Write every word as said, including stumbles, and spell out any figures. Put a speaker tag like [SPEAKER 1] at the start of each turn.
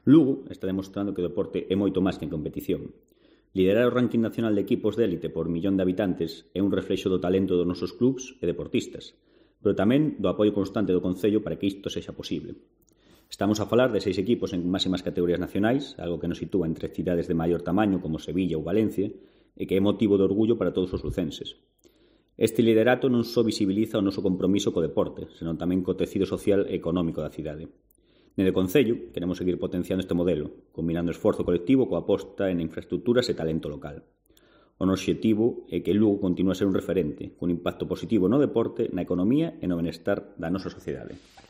[SPEAKER 1] Lugo está demostrando que o deporte é moito máis que en competición. Liderar o ranking nacional de equipos de élite por millón de habitantes é un reflexo do talento dos nosos clubs e deportistas, pero tamén do apoio constante do Concello para que isto sexa posible. Estamos a falar de seis equipos en máximas categorías nacionais, algo que nos sitúa entre cidades de maior tamaño como Sevilla ou Valencia, e que é motivo de orgullo para todos os lucenses. Este liderato non só visibiliza o noso compromiso co deporte, senón tamén co tecido social e económico da cidade. Nede Concello, queremos seguir potenciando este modelo, combinando esforzo colectivo coa aposta en infraestructuras e talento local. O noso obxectivo é que Lugo continue a ser un referente, cun impacto positivo no deporte, na economía e no benestar da nosa sociedade.